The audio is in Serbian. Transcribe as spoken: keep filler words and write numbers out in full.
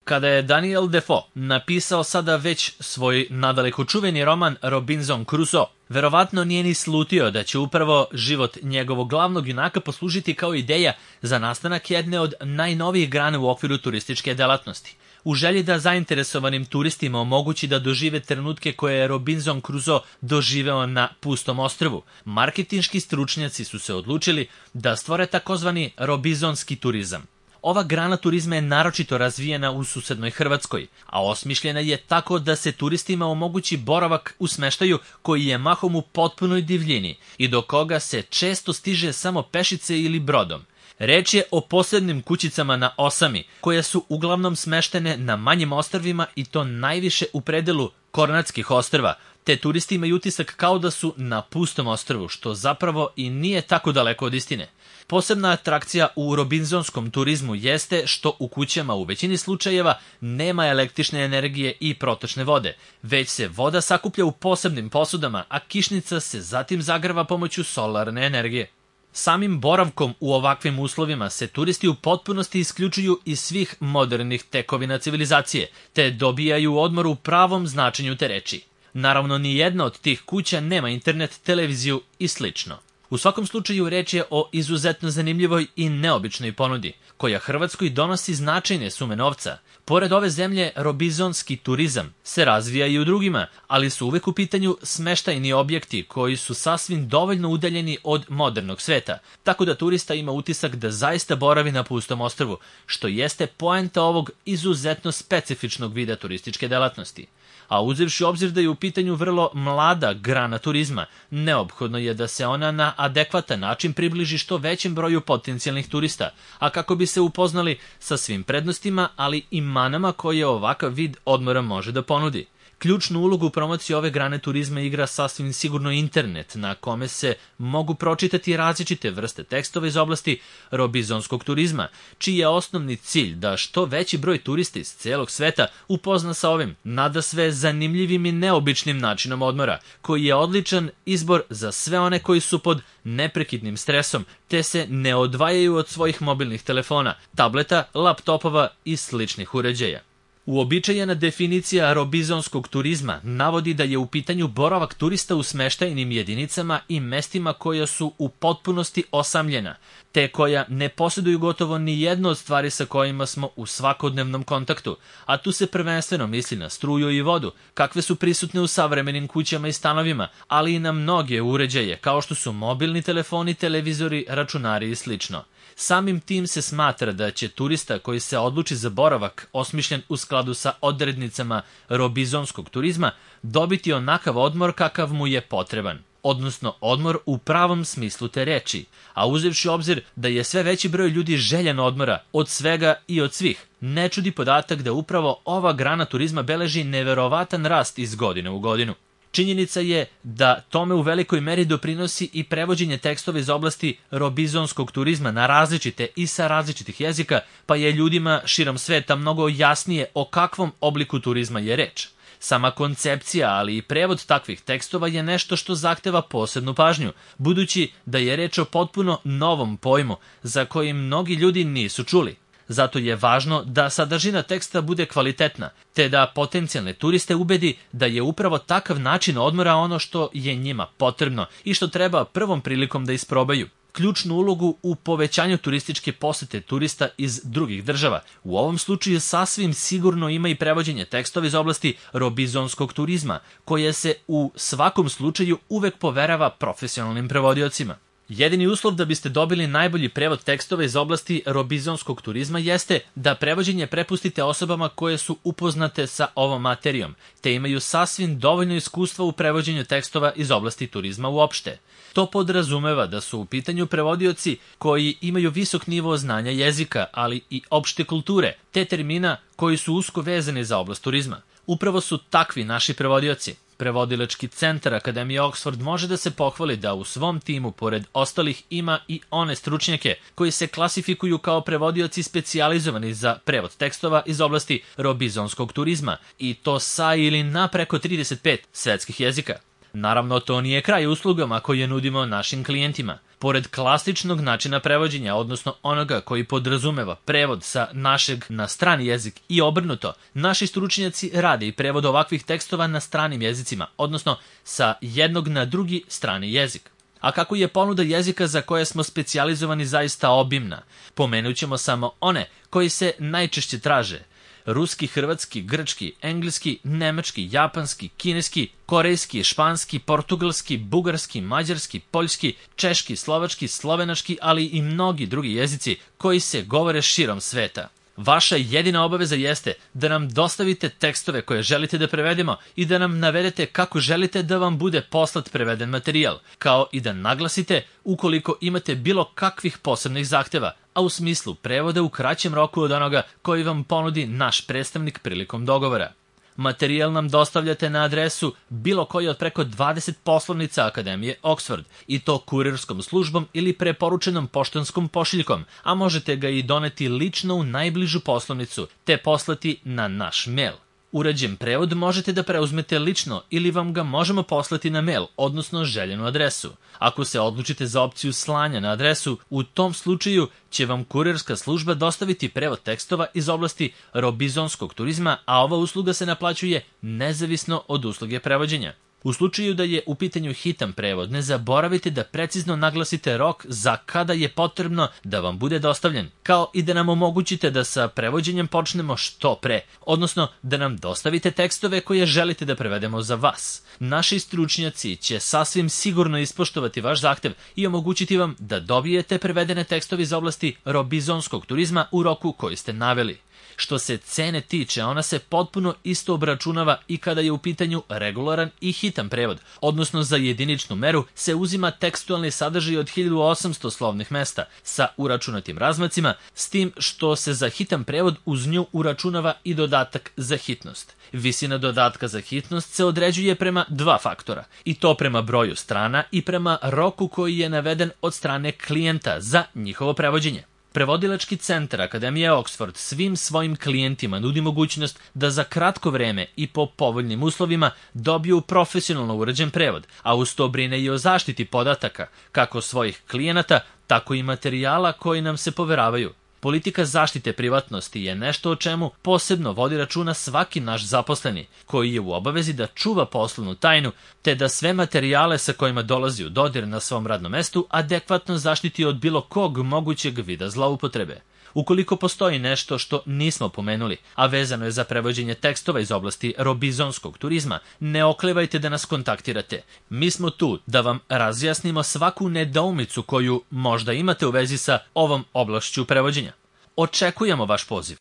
Kada je Daniel Defoe napisao sada već svoj nadaleko čuveni roman Robinson Crusoe, verovatno nije ni slutio da će upravo život njegovog glavnog junaka poslužiti kao ideja za nastanak jedne od najnovijih grana u okviru turističke delatnosti. U želji da zainteresovanim turistima omogući da dožive trenutke koje je Robinson Crusoe doživeo na pustom ostrvu, marketinški stručnjaci su se odlučili da stvore takozvani robinzonski turizam. Ova grana turizma je naročito razvijena u susednoj Hrvatskoj, a osmišljena je tako da se turistima omogući boravak u smeštaju koji je mahom u potpunoj divljini i do koga se često stiže samo pešice ili brodom. Reč je o posebnim kućicama na osami, koje su uglavnom smeštene na manjim ostrvima i to najviše u predelu Kornatskih ostrva, te turisti imaju utisak kao da su na pustom ostrvu, što zapravo i nije tako daleko od istine. Posebna atrakcija u robinzonskom turizmu jeste što u kućama u većini slučajeva nema električne energije i protočne vode, već se voda sakuplja u posebnim posudama, a kišnica se zatim zagreva pomoću solarne energije. Samim boravkom u ovakvim uslovima se turisti u potpunosti isključuju iz svih modernih tekovina civilizacije, te dobijaju odmor u pravom značenju te reči. Naravno, ni jedna od tih kuća nema internet, televiziju i slično. U svakom slučaju reč je o izuzetno zanimljivoj i neobičnoj ponudi, koja Hrvatskoj donosi značajne sume novca. Pored ove zemlje, robinzonski turizam se razvija i u drugima, ali su uvek u pitanju smeštajni objekti koji su sasvim dovoljno udaljeni od modernog sveta, tako da turista ima utisak da zaista boravi na pustom ostrvu, što jeste poenta ovog izuzetno specifičnog vida turističke delatnosti. A uzevši obzir da je u pitanju vrlo mlada grana turizma, neophodno je da se ona na adekvatan način približi što većem broju potencijalnih turista, a kako bi se upoznali sa svim prednostima, ali i manama koje ovakav vid odmora može da ponudi. Ključnu ulogu u promociji ove grane turizma igra sasvim sigurno internet, na kome se mogu pročitati različite vrste tekstova iz oblasti robinzonskog turizma, čiji je osnovni cilj da što veći broj turista iz celog sveta upozna sa ovim nadasve zanimljivim i neobičnim načinom odmora, koji je odličan izbor za sve one koji su pod neprekidnim stresom, te se ne odvajaju od svojih mobilnih telefona, tableta, laptopova i sličnih uređaja. Uobičajena definicija robinzonskog turizma navodi da je u pitanju boravak turista u smeštajnim jedinicama i mestima koja su u potpunosti osamljena, te koja ne posjeduju gotovo ni jednu od stvari sa kojima smo u svakodnevnom kontaktu, a tu se prvenstveno misli na struju i vodu, kakve su prisutne u savremenim kućama i stanovima, ali i na mnoge uređaje, kao što su mobilni telefoni, televizori, računari i slično. Samim tim se smatra da će turista koji se odluči za boravak osmišljen u skladu sa odrednicama robinzonskog turizma dobiti onakav odmor kakav mu je potreban, odnosno odmor u pravom smislu te reči, a uzevši obzir da je sve veći broj ljudi željan odmora od svega i od svih, ne čudi podatak da upravo ova grana turizma beleži neverovatan rast iz godine u godinu. Činjenica je da tome u velikoj meri doprinosi i prevođenje tekstova iz oblasti robinzonskog turizma na različite i sa različitih jezika, pa je ljudima širom sveta mnogo jasnije o kakvom obliku turizma je reč. Sama koncepcija, ali i prevod takvih tekstova je nešto što zahteva posebnu pažnju, budući da je reč o potpuno novom pojmu za koji mnogi ljudi nisu čuli. Zato je važno da sadržina teksta bude kvalitetna, te da potencijalne turiste ubedi da je upravo takav način odmora ono što je njima potrebno i što treba prvom prilikom da isprobaju. Ključnu ulogu u povećanju turističke posete turista iz drugih država. U ovom slučaju sasvim sigurno ima i prevođenje tekstova iz oblasti robinzonskog turizma, koje se u svakom slučaju uvek poverava profesionalnim prevodiocima. Jedini uslov da biste dobili najbolji prevod tekstova iz oblasti robinzonskog turizma jeste da prevođenje prepustite osobama koje su upoznate sa ovom materijom, te imaju sasvim dovoljno iskustva u prevođenju tekstova iz oblasti turizma uopšte. To podrazumeva da su u pitanju prevodioci koji imaju visok nivo znanja jezika, ali i opšte kulture, te termina koji su usko vezani za oblast turizma. Upravo su takvi naši prevodioci. Prevodilački centar Akademije Oxford može da se pohvali da u svom timu, pored ostalih, ima i one stručnjake koji se klasifikuju kao prevodioci specijalizovani za prevod tekstova iz oblasti robinzonskog turizma, i to sa ili na preko trideset pet svetskih jezika. Naravno, to nije kraj uslugama koje nudimo našim klijentima. Pored klasičnog načina prevođenja, odnosno onoga koji podrazumeva prevod sa našeg na strani jezik i obrnuto, naši stručnjaci rade i prevod ovakvih tekstova na stranim jezicima, odnosno sa jednog na drugi strani jezik. A kako je ponuda jezika za koje smo specijalizovani zaista obimna, pomenut ćemo samo one koji se najčešće traže: ruski, hrvatski, grčki, engleski, nemački, japanski, kineski, korejski, španski, portugalski, bugarski, mađarski, poljski, češki, slovački, slovenački, ali i mnogi drugi jezici koji se govore širom sveta. Vaša jedina obaveza jeste da nam dostavite tekstove koje želite da prevedemo i da nam navedete kako želite da vam bude poslat preveden materijal, kao i da naglasite ukoliko imate bilo kakvih posebnih zahteva, a u smislu prevoda u kraćem roku od onoga koji vam ponudi naš predstavnik prilikom dogovora. Materijal nam dostavljate na adresu bilo koji od preko dvadeset poslovnica Akademije Oxford, i to kurirskom službom ili preporučenom poštanskom pošiljkom, a možete ga i doneti lično u najbližu poslovnicu te poslati na naš mail. Urađen prevod možete da preuzmete lično ili vam ga možemo poslati na mail, odnosno željenu adresu. Ako se odlučite za opciju slanja na adresu, u tom slučaju će vam kurirska služba dostaviti prevod tekstova iz oblasti robinzonskog turizma, a ova usluga se naplaćuje nezavisno od usluge prevođenja. U slučaju da je u pitanju hitan prevod, ne zaboravite da precizno naglasite rok za kada je potrebno da vam bude dostavljen, kao i da nam omogućite da sa prevođenjem počnemo što pre, odnosno da nam dostavite tekstove koje želite da prevedemo za vas. Naši stručnjaci će sasvim sigurno ispoštovati vaš zahtev i omogućiti vam da dobijete prevedene tekstove iz oblasti robinzonskog turizma u roku koji ste naveli. Što se cene tiče, ona se potpuno isto obračunava i kada je u pitanju regularan i hitan prevod, odnosno za jediničnu meru se uzima tekstualni sadržaj od hiljadu osamsto slovnih mesta sa uračunatim razmacima, s tim što se za hitan prevod uz nju uračunava i dodatak za hitnost. Visina dodatka za hitnost se određuje prema dva faktora, i to prema broju strana i prema roku koji je naveden od strane klijenta za njihovo prevođenje. Prevodilački centar Akademije Oxford svim svojim klijentima nudi mogućnost da za kratko vreme i po povoljnim uslovima dobiju profesionalno urađen prevod, a uz to brine i o zaštiti podataka, kako svojih klijenata, tako i materijala koji nam se poveravaju. Politika zaštite privatnosti je nešto o čemu posebno vodi računa svaki naš zaposleni, koji je u obavezi da čuva poslovnu tajnu, te da sve materijale sa kojima dolazi u dodir na svom radnom mestu adekvatno zaštiti od bilo kog mogućeg vida zloupotrebe. Ukoliko postoji nešto što nismo pomenuli, a vezano je za prevođenje tekstova iz oblasti robinzonskog turizma, ne oklevajte da nas kontaktirate. Mi smo tu da vam razjasnimo svaku nedoumicu koju možda imate u vezi sa ovom oblašću prevođenja. Očekujemo vaš poziv.